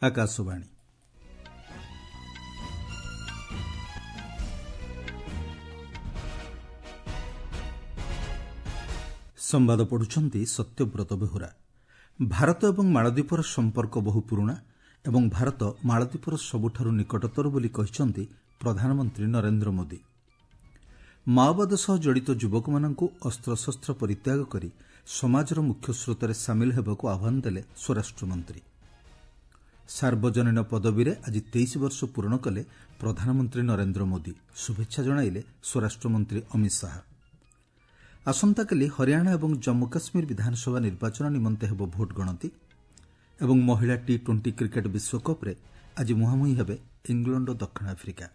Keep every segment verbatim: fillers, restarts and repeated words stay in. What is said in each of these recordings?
ଆକାଶବାଣୀ। ସମ୍ବାଦ ପଢୁଛନ୍ତି ସତ୍ୟବ୍ରତ ବେହୁରା। ଭାରତ ଏବଂ ମାଳଦ୍ୱୀପର ସମ୍ପର୍କ ବହୁ ପୁରୁଣା ଏବଂ ଭାରତ ମାଳଦ୍ୱୀପର ସବୁଠାରୁ ନିକଟତର ବୋଲି କହିଛନ୍ତି ପ୍ରଧାନମନ୍ତ୍ରୀ ନରେନ୍ଦ୍ର ମୋଦି। ମାଓବାଦ ସହ ଜଡ଼ିତ ଯୁବକମାନଙ୍କୁ ଅସ୍ତ୍ରଶସ୍ତ୍ର ପରିତ୍ୟାଗ କରି ସମାଜର ମୁଖ୍ୟସ୍ରୋତରେ ସାମିଲ ହେବାକୁ ଆହ୍ୱାନ ଦେଲେ ସ୍ୱରାଷ୍ଟ୍ରମନ୍ତ୍ରୀ। ସାର୍ବଜନୀନ ପଦବୀରେ ଆଜି ତେଇଶ ବର୍ଷ ପୂରଣ କଲେ ପ୍ରଧାନମନ୍ତ୍ରୀ ନରେନ୍ଦ୍ର ମୋଦି। ଶୁଭେଚ୍ଛା ଜଣାଇଲେ ସ୍ୱରାଷ୍ଟ୍ରମନ୍ତ୍ରୀ ଅମିତ ଶାହା। ଆସନ୍ତାକାଲି ହରିୟାଣା ଏବଂ ଜମ୍ମୁ କାଶ୍ମୀର ବିଧାନସଭା ନିର୍ବାଚନ ନିମନ୍ତେ ହେବ ଭୋଟ ଗଣତି ଏବଂ ମହିଳା ଟି ଟ୍ୱେଣ୍ଟି କ୍ରିକେଟ୍ ବିଶ୍ୱକପ୍ରେ ଆଜି ମୁହାଁମୁହିଁ ହେବେ ଇଂଲଣ୍ଡ ଓ ଦକ୍ଷିଣ ଆଫ୍ରିକା।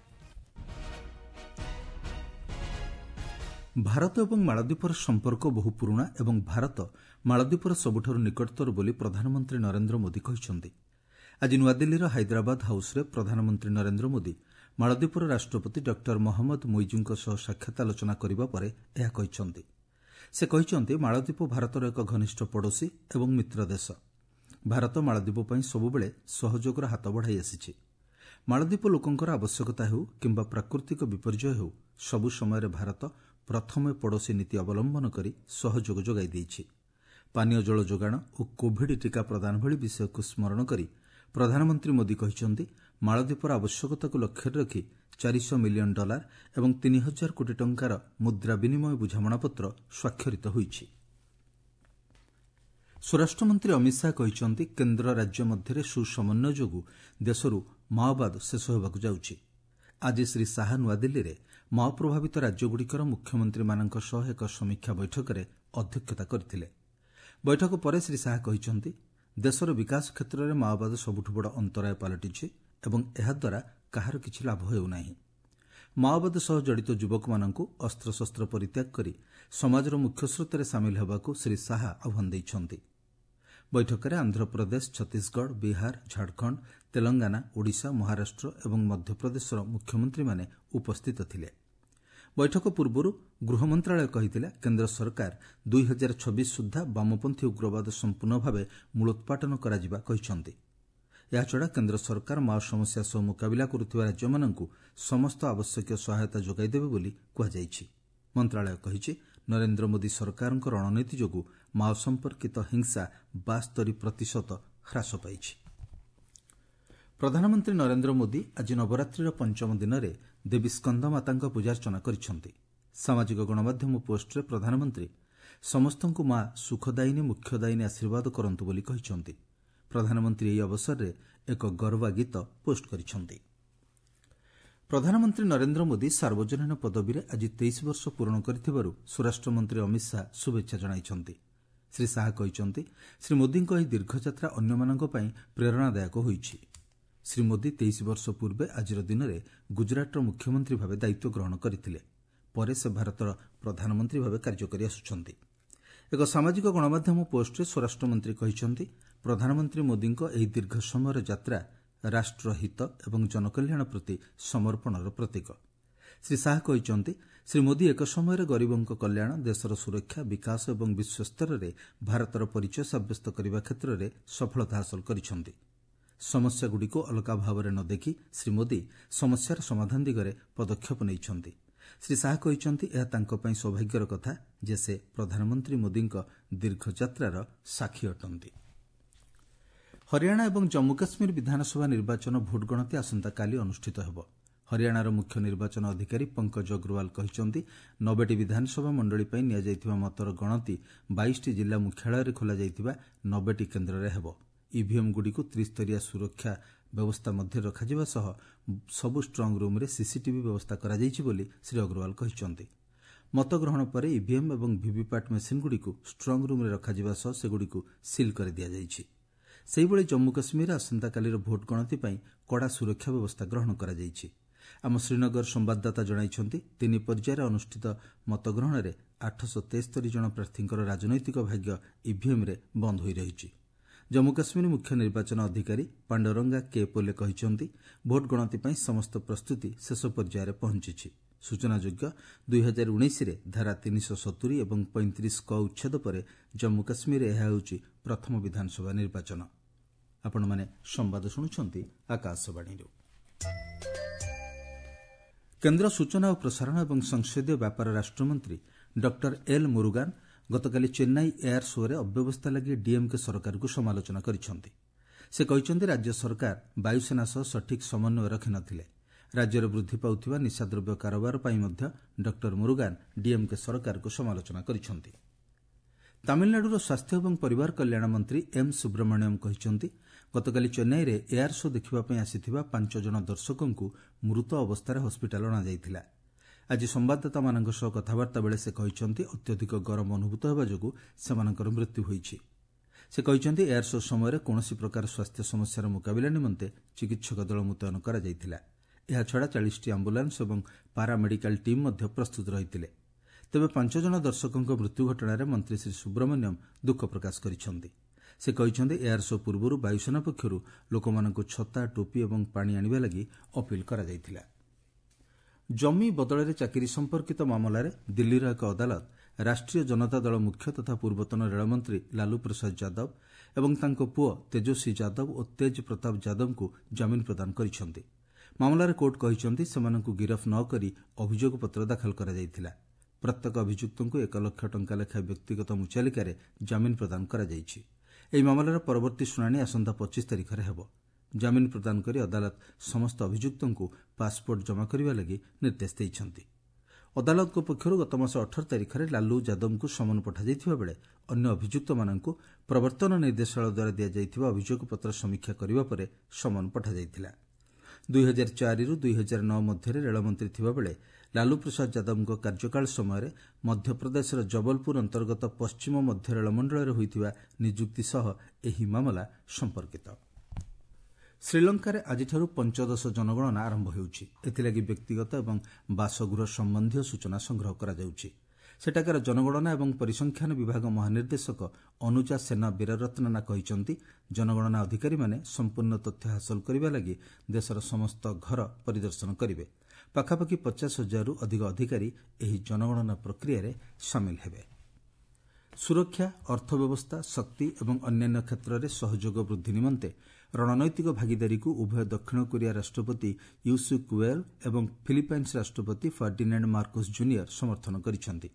ଭାରତ ଏବଂ ମାଳଦ୍ୱୀପର ସମ୍ପର୍କ ବହୁ ପୁରୁଣା ଏବଂ ଭାରତ ମାଳଦ୍ୱୀପର ସବୁଠାରୁ ନିକଟତର ବୋଲି ପ୍ରଧାନମନ୍ତ୍ରୀ ନରେନ୍ଦ୍ର ମୋଦି କହିଛନ୍ତି। ଆଜି ନୂଆଦିଲ୍ଲୀର ହାଇଦ୍ରାବାଦ ହାଉସ୍ରେ ପ୍ରଧାନମନ୍ତ୍ରୀ ନରେନ୍ଦ୍ର ମୋଦି ମାଳଦ୍ୱୀପର ରାଷ୍ଟ୍ରପତି ଡକ୍ଟର ମହମ୍ମଦ ମୁଇଜୁଙ୍କ ସହ ସାକ୍ଷାତ ଆଲୋଚନା କରିବା ପରେ ଏହା କହିଛନ୍ତି। ସେ କହିଛନ୍ତି, ମାଳଦ୍ୱୀପ ଭାରତର ଏକ ଘନିଷ୍ଠ ପଡ଼ୋଶୀ ଏବଂ ମିତ୍ର ଦେଶ। ଭାରତ ମାଳଦ୍ୱୀପ ପାଇଁ ସବୁବେଳେ ସହଯୋଗର ହାତ ବଢ଼ାଇ ଆସିଛି। ମାଳଦ୍ୱୀପ ଲୋକଙ୍କର ଆବଶ୍ୟକତା ହେଉ କିମ୍ବା ପ୍ରାକୃତିକ ବିପର୍ଯ୍ୟୟ ହେଉ, ସବୁ ସମୟରେ ଭାରତ ପ୍ରଥମେ ପଡ଼ୋଶୀ ନୀତି ଅବଲମ୍ବନ କରି ସହଯୋଗ ଯୋଗାଇ ଦେଇଛି। ପାନୀୟ ଜଳ ଯୋଗାଣ ଓ କୋଭିଡ୍ ଟିକା ପ୍ରଦାନ ଭଳି ବିଷୟକୁ ସ୍ମରଣ କରି ପ୍ରଧାନମନ୍ତ୍ରୀ ମୋଦି କହିଛନ୍ତି, ମାଳଦ୍ୱୀପର ଆବଶ୍ୟକତାକୁ ଲକ୍ଷ୍ୟରେ ରଖି ଚାରିଶହ ମିଲିୟନ ଡଲାର ଏବଂ ତିନି ହଜାର କୋଟି ଟଙ୍କାର ମୁଦ୍ରା ବିନିମୟ ବୁଝାମଣାପତ୍ର ସ୍ୱାକ୍ଷରିତ ହୋଇଛି। ସ୍ୱରାଷ୍ଟ୍ରମନ୍ତ୍ରୀ ଅମିତ ଶାହା କହିଛନ୍ତି, କେନ୍ଦ୍ର ରାଜ୍ୟ ମଧ୍ୟରେ ସୁସମନ୍ୱୟ ଯୋଗୁଁ ଦେଶରୁ ମାଓବାଦ ଶେଷ ହେବାକୁ ଯାଉଛି। ଆଜି ଶ୍ରୀ ଶାହା ନୂଆଦିଲ୍ଲୀରେ ମାଓ ପ୍ରଭାବିତ ରାଜ୍ୟଗୁଡ଼ିକର ମୁଖ୍ୟମନ୍ତ୍ରୀମାନଙ୍କ ସହ ଏକ ସମୀକ୍ଷା ବୈଠକରେ ଅଧ୍ୟକ୍ଷତା କରିଥିଲେ। ବୈଠକ ପରେ ଶ୍ରୀ ଶାହା କହିଛନ୍ତି, ଦେଶର ବିକାଶ କ୍ଷେତ୍ରରେ ମାଓବାଦ ସବୁଠୁ ବଡ଼ ଅନ୍ତରାୟ ପାଲଟିଛି ଏବଂ ଏହାଦ୍ୱାରା କାହାର କିଛି ଲାଭ ହେଉନାହିଁ। ମାଓବାଦ ସହ ଜଡ଼ିତ ଯୁବକମାନଙ୍କୁ ଅସ୍ତ୍ରଶସ୍ତ୍ର ପରିତ୍ୟାଗ କରି ସମାଜର ମୁଖ୍ୟସ୍ରୋତରେ ସାମିଲ ହେବାକୁ ଶ୍ରୀ ଶାହା ଆହ୍ୱାନ ଦେଇଛନ୍ତି। ବୈଠକରେ ଆନ୍ଧ୍ରପ୍ରଦେଶ, ଛତିଶଗଡ଼, ବିହାର, ଝାଡ଼ଖଣ୍ଡ, ତେଲଙ୍ଗାନା, ଓଡ଼ିଶା, ମହାରାଷ୍ଟ୍ର ଏବଂ ମଧ୍ୟପ୍ରଦେଶର ମୁଖ୍ୟମନ୍ତ୍ରୀମାନେ ଉପସ୍ଥିତ ଥିଲେ। ବୈଠକ ପୂର୍ବରୁ ଗୃହ ମନ୍ତ୍ରଣାଳୟ କହିଥିଲା, କେନ୍ଦ୍ର ସରକାର ଦୁଇ ହଜାର ଛବିଶ ସୁଦ୍ଧା ବାମପନ୍ଥୀ ଉଗ୍ରବାଦ ସମ୍ପୂର୍ଣ୍ଣ ଭାବେ ମୂଳୋତ୍ପାଟନ କରାଯିବା କହିଛନ୍ତି। ଏହାଛଡ଼ା କେନ୍ଦ୍ର ସରକାର ମାଓ ସମସ୍ୟା ସହ ମୁକାବିଲା କରୁଥିବା ରାଜ୍ୟମାନଙ୍କୁ ସମସ୍ତ ଆବଶ୍ୟକୀୟ ସହାୟତା ଯୋଗାଇ ଦେବେ ବୋଲି କୁହାଯାଇଛି। ମନ୍ତ୍ରଣାଳୟ କହିଛି, ନରେନ୍ଦ୍ର ମୋଦି ସରକାରଙ୍କ ରଣନୀତି ଯୋଗୁଁ ମାଓ ସମ୍ପର୍କିତ ହିଂସା ବାସ୍ତରି ପ୍ରତିଶତ ହ୍ରାସ ପାଇଛି। ପ୍ରଧାନମନ୍ତ୍ରୀ ନରେନ୍ଦ୍ର ମୋଦି ଆଜି ନବରାତ୍ରିର ପଞ୍ଚମ ଦିନରେ ଦେବୀ ସ୍କନ୍ଦମାତାଙ୍କ ପୂଜାର୍ଚ୍ଚନା କରିଛନ୍ତି। ସାମାଜିକ ଗଣମାଧ୍ୟମ ପୋଷ୍ଟରେ ପ୍ରଧାନମନ୍ତ୍ରୀ ସମସ୍ତଙ୍କୁ ମା ସୁଖଦାୟିନୀ ମୁଖ୍ୟଦାୟିନୀ ଆଶୀର୍ବାଦ କରନ୍ତୁ ବୋଲି କହିଛନ୍ତି। ପ୍ରଧାନମନ୍ତ୍ରୀ ଏହି ଅବସରରେ ଏକ ଗରବା ଗୀତ ପୋଷ୍ଟ କରିଛନ୍ତି। ପ୍ରଧାନମନ୍ତ୍ରୀ ନରେନ୍ଦ୍ର ମୋଦି ସାର୍ବଜନୀନ ପଦବୀରେ ଆଜି ତେଇଶ ବର୍ଷ ପୂରଣ କରିଥିବାରୁ ସ୍ୱରାଷ୍ଟ୍ରମନ୍ତ୍ରୀ ଅମିତ ଶାହା ଶୁଭେଚ୍ଛା ଜଣାଇଛନ୍ତି। ଶ୍ରୀ ଶାହା କହିଛନ୍ତି, ଶ୍ରୀ ମୋଦିଙ୍କ ଏହି ଦୀର୍ଘଯାତ୍ରା ଅନ୍ୟମାନଙ୍କ ପାଇଁ ପ୍ରେରଣାଦାୟକ ହୋଇଛି। ଶ୍ରୀ ମୋଦି ତେଇଶ ବର୍ଷ ପୂର୍ବେ ଆଜିର ଦିନରେ ଗୁଜରାଟର ମୁଖ୍ୟମନ୍ତ୍ରୀ ଭାବେ ଦାୟିତ୍ୱ ଗ୍ରହଣ କରିଥିଲେ। ପରେ ସେ ଭାରତର ପ୍ରଧାନମନ୍ତ୍ରୀ ଭାବେ କାର୍ଯ୍ୟ କରି ଆସୁଛନ୍ତି। ଏକ ସାମାଜିକ ଗଣମାଧ୍ୟମ ପୋଷ୍ଟରେ ସ୍ୱରାଷ୍ଟ୍ରମନ୍ତ୍ରୀ କହିଛନ୍ତି, ପ୍ରଧାନମନ୍ତ୍ରୀ ମୋଦିଙ୍କ ଏହି ଦୀର୍ଘ ସମୟର ଯାତ୍ରା ରାଷ୍ଟ୍ରହିତ ଏବଂ ଜନକଲ୍ୟାଣ ପ୍ରତି ସମର୍ପଣର ପ୍ରତୀକ। ଶ୍ରୀ ଶାହା କହିଛନ୍ତି, ଶ୍ରୀ ମୋଦି ଏକ ସମୟରେ ଗରିବଙ୍କ କଲ୍ୟାଣ, ଦେଶର ସୁରକ୍ଷା, ବିକାଶ ଏବଂ ବିଶ୍ୱସ୍ତରରେ ଭାରତର ପରିଚୟ ସାବ୍ୟସ୍ତ କରିବା କ୍ଷେତ୍ରରେ ସଫଳତା ହାସଲ କରିଛନ୍ତି। ସମସ୍ୟାଗୁଡ଼ିକୁ ଅଲଗା ଭାବରେ ନ ଦେଖି ଶ୍ରୀ ମୋଦି ସମସ୍ୟାର ସମାଧାନ ଦିଗରେ ପଦକ୍ଷେପ ନେଇଛନ୍ତି। ଶ୍ରୀ ଶାହା କହିଛନ୍ତି, ଏହା ତାଙ୍କ ପାଇଁ ସୌଭାଗ୍ୟର କଥା ଯେ ସେ ପ୍ରଧାନମନ୍ତ୍ରୀ ମୋଦିଙ୍କ ଦୀର୍ଘଯାତ୍ରାର ସାକ୍ଷୀ ଅଟନ୍ତି। ହରିୟାଣା ଏବଂ ଜମ୍ମୁ କାଶ୍ମୀର ବିଧାନସଭା ନିର୍ବାଚନ ଭୋଟ ଗଣତି ଆସନ୍ତାକାଲି ଅନୁଷ୍ଠିତ ହେବ। ହରିୟାଣାର ମୁଖ୍ୟ ନିର୍ବାଚନ ଅଧିକାରୀ ପଙ୍କଜ ଅଗ୍ରୱାଲ କହିଛନ୍ତି, ନବେଟି ବିଧାନସଭା ମଣ୍ଡଳୀ ପାଇଁ ନିଆଯାଇଥିବା ମତର ଗଣତି ବାଇଶଟି ଜିଲ୍ଲା ମୁଖ୍ୟାଳୟରେ ଖୋଲାଯାଇଥିବା ନବେଟି କେନ୍ଦ୍ରରେ ହେବ। ଇଭିଏମ୍ଗୁଡ଼ିକୁ ତ୍ରିସ୍ତରୀୟ ସୁରକ୍ଷା ବ୍ୟବସ୍ଥା ମଧ୍ୟରେ ରଖାଯିବା ସହ ସବୁ ଷ୍ଟ୍ରଙ୍ଗ ରୁମ୍ରେ ସିସିଟିଭି ବ୍ୟବସ୍ଥା କରାଯାଇଛି ବୋଲି ଶ୍ରୀ ଅଗ୍ରୱାଲ କହିଛନ୍ତି। ମତଗ୍ରହଣ ପରେ ଇଭିଏମ୍ ଏବଂ ଭିଭିପାଟ୍ ମେସିନ୍ଗୁଡ଼ିକୁ ଷ୍ଟ୍ରଙ୍ଗ ରୁମ୍ରେ ରଖାଯିବା ସହ ସେଗୁଡ଼ିକୁ ସିଲ୍ କରିଦିଆଯାଇଛି। ସେହିଭଳି ଜମ୍ମୁ କାଶ୍ମୀରରେ ଆସନ୍ତାକାଲିର ଭୋଟ ଗଣତି ପାଇଁ କଡ଼ା ସୁରକ୍ଷା ବ୍ୟବସ୍ଥା ଗ୍ରହଣ କରାଯାଇଛି। ଆମ ଶ୍ରୀନଗର ସମ୍ବାଦଦାତା ଜଣାଇଛନ୍ତି, ତିନି ପର୍ଯ୍ୟାୟରେ ଅନୁଷ୍ଠିତ ମତଗ୍ରହଣରେ ଆଠଶହ ତେସ୍ତରି ଜଣ ପ୍ରାର୍ଥୀଙ୍କର ରାଜନୈତିକ ଭାଗ୍ୟ ଇଭିଏମ୍ରେ ବନ୍ଦ ହୋଇ ରହିଛି। ଜମ୍ମୁ କାଶ୍ମୀର ମୁଖ୍ୟ ନିର୍ବାଚନ ଅଧିକାରୀ ପାଣ୍ଡରଙ୍ଗା କେ ପୋଲେ କହିଛନ୍ତି, ଭୋଟ ଗଣତି ପାଇଁ ସମସ୍ତ ପ୍ରସ୍ତୁତି ଶେଷ ପର୍ଯ୍ୟାୟରେ ପହଞ୍ଚିଛି। ସୂଚନାଯୋଗ୍ୟ, ଦୁଇ ହଜାର ଉଣେଇଶରେ ଧାରା ତିନିଶହ ସତୁରି ଏବଂ ପଇଁତିରିଶ କ ଉଚ୍ଛେଦ ପରେ ଜମ୍ମୁ କାଶ୍ମୀରରେ ଏହା ହେଉଛି ପ୍ରଥମ ବିଧାନସଭା ନିର୍ବାଚନ। ଆପଣମାନେ ସମ୍ବାଦ ଶୁଣୁଛନ୍ତି ଆକାଶବାଣୀରୁ। କେନ୍ଦ୍ର ସୂଚନା ଓ ପ୍ରସାରଣ ଏବଂ ସଂସଦୀୟ ବ୍ୟାପାର ରାଷ୍ଟ୍ରମନ୍ତ୍ରୀ ଡକ୍ଟର ଏଲ୍ ମୁରୁଗାନ ଗତକାଲି ଚେନ୍ନାଇ ଏୟାର ଶୋ'ରେ ଅବ୍ୟବସ୍ଥା ଲାଗି ଡିଏମ୍କେ ସରକାରକୁ ସମାଲୋଚନା କରିଛନ୍ତି। ସେ କହିଛନ୍ତି, ରାଜ୍ୟ ସରକାର ବାୟୁସେନା ସହ ସଠିକ୍ ସମନ୍ୱୟ ରଖିନଥିଲେ। ରାଜ୍ୟରେ ବୃଦ୍ଧି ପାଉଥିବା ନିଶାଦ୍ରବ୍ୟ କାରବାର ପାଇଁ ମଧ୍ୟ ଡକ୍ଟର ମୁରୁଗାନ ଡିଏମ୍କେ ସରକାରକୁ ସମାଲୋଚନା କରିଛନ୍ତି। ତାମିଲନାଡୁର ସ୍ୱାସ୍ଥ୍ୟ ଏବଂ ପରିବାର କଲ୍ୟାଣ ମନ୍ତ୍ରୀ ଏମ୍ ସୁବ୍ରମଣ୍ୟମ୍ କହିଛନ୍ତି, ଗତକାଲି ଚେନ୍ନାଇରେ ଏୟାର ଶୋ ଦେଖିବା ପାଇଁ ଆସିଥିବା ପାଞ୍ଚ ଜଣ ଦର୍ଶକଙ୍କୁ ମୃତ ଅବସ୍ଥାରେ ହସ୍ପିଟାଲ ଅଣାଯାଇଥିଲା। ଆଜି ସମ୍ବାଦଦାତାମାନଙ୍କ ସହ କଥାବାର୍ତ୍ତା ବେଳେ ସେ କହିଛନ୍ତି, ଅତ୍ୟଧିକ ଗରମ ଅନୁଭୂତ ହେବା ଯୋଗୁଁ ସେମାନଙ୍କର ମୃତ୍ୟୁ ହୋଇଛି। ସେ କହିଛନ୍ତି, ଏୟାର ଶୋ ସମୟରେ କୌଣସି ପ୍ରକାର ସ୍ୱାସ୍ଥ୍ୟ ସମସ୍ୟାର ମୁକାବିଲା ନିମନ୍ତେ ଚିକିତ୍ସକ ଦଳ ମୁତୟନ କରାଯାଇଥିଲା। ଏହାଛଡ଼ା ଚାଳିଶଟି ଆମ୍ବୁଲାନ୍ସ ଏବଂ ପାରାମେଡିକାଲ ଟିମ୍ ମଧ୍ୟ ପ୍ରସ୍ତୁତ ରହିଥିଲେ। ତେବେ ପାଞ୍ଚ ଜଣ ଦର୍ଶକଙ୍କ ମୃତ୍ୟୁ ଘଟଣାରେ ମନ୍ତ୍ରୀ ଶ୍ରୀ ସୁବ୍ରମଣ୍ୟମ୍ ଦୁଃଖ ପ୍ରକାଶ କରିଛନ୍ତି। ସେ କହିଛନ୍ତି, ଏୟାର ଶୋ ପୂର୍ବରୁ ବାୟୁସେନା ପକ୍ଷରୁ ଲୋକମାନଙ୍କୁ ଛତା, ଟୋପି ଏବଂ ପାଣି ଆଣିବା ଲାଗି ଅପିଲ କରାଯାଇଥିଲା। ଜମି ବଦଳରେ ଚାକିରି ସମ୍ପର୍କିତ ମାମଲାରେ ଦିଲ୍ଲୀର ଏକ ଅଦାଲତ ରାଷ୍ଟ୍ରୀୟ ଜନତା ଦଳ ମୁଖ୍ୟ ତଥା ପୂର୍ବତନ ରେଳମନ୍ତ୍ରୀ ଲାଲୁ ପ୍ରସାଦ ଯାଦବ ଏବଂ ତାଙ୍କ ପୁଅ ତେଜସ୍ୱୀ ଯାଦବ ଓ ତେଜ୍ ପ୍ରତାପ ଯାଦବଙ୍କୁ ଜାମିନ ପ୍ରଦାନ କରିଛନ୍ତି। ମାମଲାରେ କୋର୍ଟ କହିଛନ୍ତି, ସେମାନଙ୍କୁ ଗିରଫ ନ କରି ଅଭିଯୋଗପତ୍ର ଦାଖଲ କରାଯାଇଥିଲା। ପ୍ରତ୍ୟେକ ଅଭିଯୁକ୍ତଙ୍କୁ ଏକ ଲକ୍ଷ ଟଙ୍କା ଲେଖାଏଁ ବ୍ୟକ୍ତିଗତ ମୁଚାଲିକାରେ ଜାମିନ ପ୍ରଦାନ କରାଯାଇଛି। ଏହି ମାମଲାର ପରବର୍ତ୍ତୀ ଶୁଣାଣି ଆସନ୍ତା ପଚିଶ ତାରିଖରେ ହେବ। ଜାମିନ ପ୍ରଦାନ କରି ଅଦାଲତ ସମସ୍ତ ଅଭିଯୁକ୍ତଙ୍କୁ ପାସପୋର୍ଟ ଜମା କରିବା ଲାଗି ନିର୍ଦ୍ଦେଶ ଦେଇଛନ୍ତି। ଅଦାଲତଙ୍କ ପକ୍ଷରୁ ଗତମାସ ଅଠର ତାରିଖରେ ଲାଲୁ ଯାଦବଙ୍କୁ ସମନ ପଠାଯାଇଥିବା ବେଳେ ଅନ୍ୟ ଅଭିଯୁକ୍ତମାନଙ୍କୁ ପ୍ରବର୍ତ୍ତନ ନିର୍ଦ୍ଦେଶାଳୟ ଦ୍ୱାରା ଦିଆଯାଇଥିବା ଅଭିଯୋଗପତ୍ର ସମୀକ୍ଷା କରିବା ପରେ ସମନ ପଠାଯାଇଥିଲା। ଦୁଇ ହଜାର ଚାରିରୁ ଦୁଇ ହଜାର ନଅ ମଧ୍ୟରେ ରେଳମନ୍ତ୍ରୀ ଥିବାବେଳେ ଲାଲୁ ପ୍ରସାଦ ଯାଦବଙ୍କ କାର୍ଯ୍ୟକାଳ ସମୟରେ ମଧ୍ୟପ୍ରଦେଶର ଜବଲପୁର ଅନ୍ତର୍ଗତ ପଶ୍ଚିମ ମଧ୍ୟ ରେଳମଣ୍ଡଳରେ ହୋଇଥିବା ନିଯୁକ୍ତି ସହ ଏହି ମାମଲା ସମ୍ପର୍କିତ। ଶ୍ରୀଲଙ୍କାରେ ଆଜିଠାରୁ ପଞ୍ଚଦଶ ଜନଗଣନା ଆରମ୍ଭ ହେଉଛି। ଏଥିଲାଗି ବ୍ୟକ୍ତିଗତ ଏବଂ ବାସଗୃହ ସମ୍ବନ୍ଧୀୟ ସୂଚନା ସଂଗ୍ରହ କରାଯାଉଛି। ସେଠାକାର ଜନଗଣନା ଏବଂ ପରିସଂଖ୍ୟାନ ବିଭାଗ ମହାନିର୍ଦ୍ଦେଶକ ଅନୁଜା ସେନା ବୀରରତ୍ନନା କହିଛନ୍ତି, ଜନଗଣନା ଅଧିକାରୀମାନେ ସମ୍ପୂର୍ଣ୍ଣ ତଥ୍ୟ ହାସଲ କରିବା ଲାଗି ଦେଶର ସମସ୍ତ ଘର ପରିଦର୍ଶନ କରିବେ। ପାଖାପାଖି ପଚାଶ ହଜାରରୁ ଅଧିକ ଅଧିକାରୀ ଏହି ଜନଗଣନା ପ୍ରକ୍ରିୟାରେ ସାମିଲ ହେବେ। ସୁରକ୍ଷା, ଅର୍ଥବ୍ୟବସ୍ଥା, ଶକ୍ତି ଏବଂ ଅନ୍ୟାନ୍ୟ କ୍ଷେତ୍ରରେ ସହଯୋଗ ବୃଦ୍ଧି ନିମନ୍ତେ ରଣନୈତିକ ଭାଗିଦାରୀକୁ ଉଭୟ ଦକ୍ଷିଣ କୋରିଆ ରାଷ୍ଟ୍ରପତି ୟୁସୁକ୍ ୱେଲ୍ ଏବଂ ଫିଲିପାଇନ୍ସ ରାଷ୍ଟ୍ରପତି ଫର୍ଡିନାଣ୍ଡ ମାର୍କୋସ୍ ଜୁନିୟର ସମର୍ଥନ କରିଛନ୍ତି।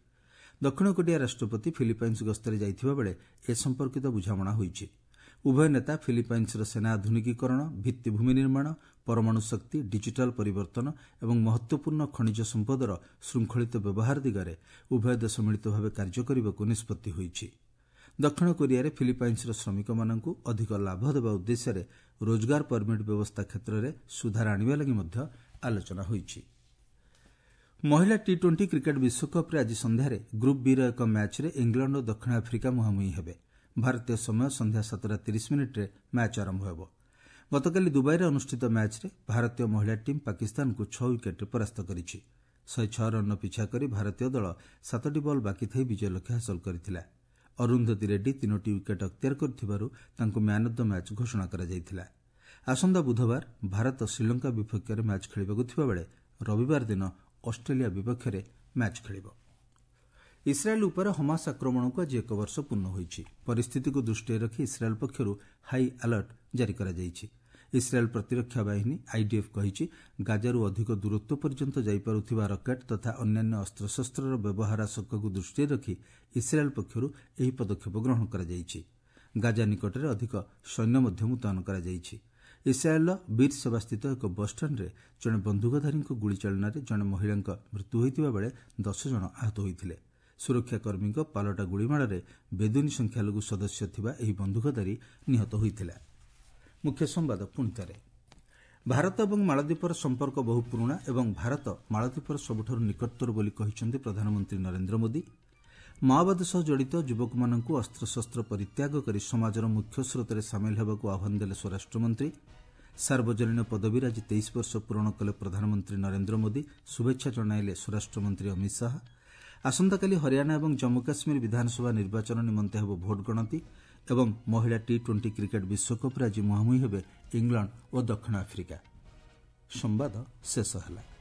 ଦକ୍ଷିଣ କୋରିଆ ରାଷ୍ଟ୍ରପତି ଫିଲିପାଇନ୍ସ ଗସ୍ତରେ ଯାଇଥିବା ବେଳେ ଏ ସମ୍ପର୍କିତ ବୁଝାମଣା ହୋଇଛି। ଉଭୟ ନେତା ଫିଲିପାଇନ୍ସର ସେନା ଆଧୁନିକୀକରଣ, ଭିତ୍ତିଭୂମି ନିର୍ମାଣ, ପରମାଣୁ ଶକ୍ତି, ଡିଜିଟାଲ ପରିବର୍ତ୍ତନ ଏବଂ ମହତ୍ୱପୂର୍ଣ୍ଣ ଖଣିଜ ସମ୍ପଦର ଶୃଙ୍ଖଳିତ ବ୍ୟବହାର ଦିଗରେ ଉଭୟ ଦେଶ ମିଳିତ ଭାବେ କାର୍ଯ୍ୟ କରିବାକୁ ନିଷ୍ପତ୍ତି ହୋଇଛି। ଦକ୍ଷିଣ କୋରିଆରେ ଫିଲିପାଇନ୍ସର ଶ୍ରମିକମାନଙ୍କୁ ଅଧିକ ଲାଭ ଦେବା ଉଦ୍ଦେଶ୍ୟରେ ରୋଜଗାର ପରମିଟ୍ ବ୍ୟବସ୍ଥା କ୍ଷେତ୍ରରେ ସୁଧାର ଆଣିବା ଲାଗି ମଧ୍ୟ ଆଲୋଚନା ହୋଇଛି। ମହିଳା ଟି ଟ୍ୱେଣ୍ଟି କ୍ରିକେଟ୍ ବିଶ୍ୱକପ୍ରେ ଆଜି ସନ୍ଧ୍ୟାରେ ଗ୍ରୁପ୍ ବିର ଏକ ମ୍ୟାଚ୍ରେ ଇଂଲଣ୍ଡ ଓ ଦକ୍ଷିଣ ଆଫ୍ରିକା ମୁହାଁମୁହିଁ ହେବେ। ଭାରତୀୟ ସମୟ ସନ୍ଧ୍ୟା ସାତଟା ତିରିଶ ମିନିଟ୍ରେ ମ୍ୟାଚ୍ ଆରମ୍ଭ ହେବ। ଗତକାଲି ଦୁବାଇରେ ଅନୁଷ୍ଠିତ ମ୍ୟାଚ୍ରେ ଭାରତୀୟ ମହିଳା ଟିମ୍ ପାକିସ୍ତାନକୁ ଛଅ ୱିକେଟ୍ରେ ପରାସ୍ତ କରିଛି। ଶହେ ଛଅ ରନ୍ର ପିଛା କରି ଭାରତୀୟ ଦଳ ସାତଟି ବଲ୍ ବାକି ଥାଇ ବିଜୟ ଲକ୍ଷ୍ୟ ହାସଲ କରିଥିଲା। ଅରୁନ୍ଧତୀ ରେଡ୍ଡି ତିନୋଟି ୱିକେଟ୍ ଅକ୍ତିଆର କରିଥିବାରୁ ତାଙ୍କୁ ମ୍ୟାନ୍ ଅଫ୍ the match ଘୋଷଣା କରାଯାଇଥିଲା। ଆସନ୍ତା ବୁଧବାର ଭାରତ ଶ୍ରୀଲଙ୍କା ବିପକ୍ଷରେ ମ୍ୟାଚ୍ ଖେଳିବାକୁ ଥିବାବେଳେ ରବିବାର ଦିନ ଅଷ୍ଟ୍ରେଲିଆ ବିପକ୍ଷରେ ମ୍ୟାଚ୍ ଖେଳିବ। ଇସ୍ରାଏଲ୍ ଉପରେ ହମାସ ଆକ୍ରମଣକୁ ଆଜି ଏକ ବର୍ଷ ପୂର୍ଣ୍ଣ ହୋଇଛି। ପରିସ୍ଥିତିକୁ ଦୃଷ୍ଟିରେ ରଖି ଇସ୍ରାଏଲ୍ ପକ୍ଷରୁ ହାଇ ଆଲର୍ଟ ଜାରି କରାଯାଇଛି। ଇସ୍ରାଏଲ୍ ପ୍ରତିରକ୍ଷା ବାହିନୀ ଆଇଡିଏଫ୍ କହିଛି, ଗାଜାରୁ ଅଧିକ ଦୂରତ୍ୱ ପର୍ଯ୍ୟନ୍ତ ଯାଇପାରୁଥିବା ରକେଟ୍ ତଥା ଅନ୍ୟାନ୍ୟ ଅସ୍ତ୍ରଶସ୍ତ୍ରର ବ୍ୟବହାର ଆଶଙ୍କାକୁ ଦୃଷ୍ଟିରେ ରଖି ଇସ୍ରାଏଲ୍ ପକ୍ଷରୁ ଏହି ପଦକ୍ଷେପ ଗ୍ରହଣ କରାଯାଇଛି। ଗାଜା ନିକଟରେ ଅଧିକ ସୈନ୍ୟ ମଧ୍ୟ ମୁତୟନ କରାଯାଇଛି। ଇସ୍ରାଏଲ୍ର ବୀରସେବାସ୍ଥିତ ଏକ ବସ୍ଷ୍ଟାଣ୍ଡରେ ଜଣେ ବନ୍ଧୁକଧାରୀଙ୍କ ଗୁଳିଚାଳନାରେ ଜଣେ ମହିଳାଙ୍କ ମୃତ୍ୟୁ ହୋଇଥିବା ବେଳେ ଦଶ ଜଣ ଆହତ ହୋଇଥିଲେ। ସୁରକ୍ଷାକର୍ମୀଙ୍କ ପାଲଟା ଗୁଳିମାଡ଼ରେ ବେଦୁଇନ ସଂଖ୍ୟାଲଘୁ ସଦସ୍ୟ ଥିବା ଏହି ବନ୍ଧୁକଧାରୀ ନିହତ ହୋଇଥିଲା। ମୁଖ୍ୟ ସମ୍ବାଦ ପୁଣିଥରେ, ଭାରତ ଏବଂ ମାଳଦ୍ୱୀପର ସମ୍ପର୍କ ବହୁ ପୁରୁଣା ଏବଂ ଭାରତ ମାଳଦ୍ୱୀପର ସବୁଠାରୁ ନିକଟତର ବୋଲି କହିଛନ୍ତି ପ୍ରଧାନମନ୍ତ୍ରୀ ନରେନ୍ଦ୍ର ମୋଦି। ମାଓବାଦ ସହ ଜଡ଼ିତ ଯୁବକମାନଙ୍କୁ ଅସ୍ତ୍ରଶସ୍ତ୍ର ପରିତ୍ୟାଗ କରି ସମାଜର ମୁଖ୍ୟ ସ୍ରୋତରେ ସାମିଲ ହେବାକୁ ଆହ୍ୱାନ ଦେଲେ ସ୍ୱରାଷ୍ଟ୍ରମନ୍ତ୍ରୀ। ସାର୍ବଜନୀନ ପଦବୀରେ ଆଜି ତେଇଶ ବର୍ଷ ପୂରଣ କଲେ ପ୍ରଧାନମନ୍ତ୍ରୀ ନରେନ୍ଦ୍ର ମୋଦି, ଶୁଭେଚ୍ଛା ଜଣାଇଲେ ସ୍ୱରାଷ୍ଟ୍ରମନ୍ତ୍ରୀ ଅମିତ ଶାହା। ଆସନ୍ତାକାଲି ହରିୟାଣା ଏବଂ ଜମ୍ମୁ କାଶ୍ମୀର ବିଧାନସଭା ନିର୍ବାଚନ ନିମନ୍ତେ ହେବ ଭୋଟ ଗଣତି ଏବଂ ମହିଳା ଟି ଟ୍ୱେଣ୍ଟି କ୍ରିକେଟ୍ ବିଶ୍ୱକପ୍ରେ ଆଜି ମୁହାଁମୁହିଁ ହେବେ ଇଂଲଣ୍ଡ ଓ ଦକ୍ଷିଣ ଆଫ୍ରିକା। ସମ୍ବାଦ ଶେଷ ହେଲା।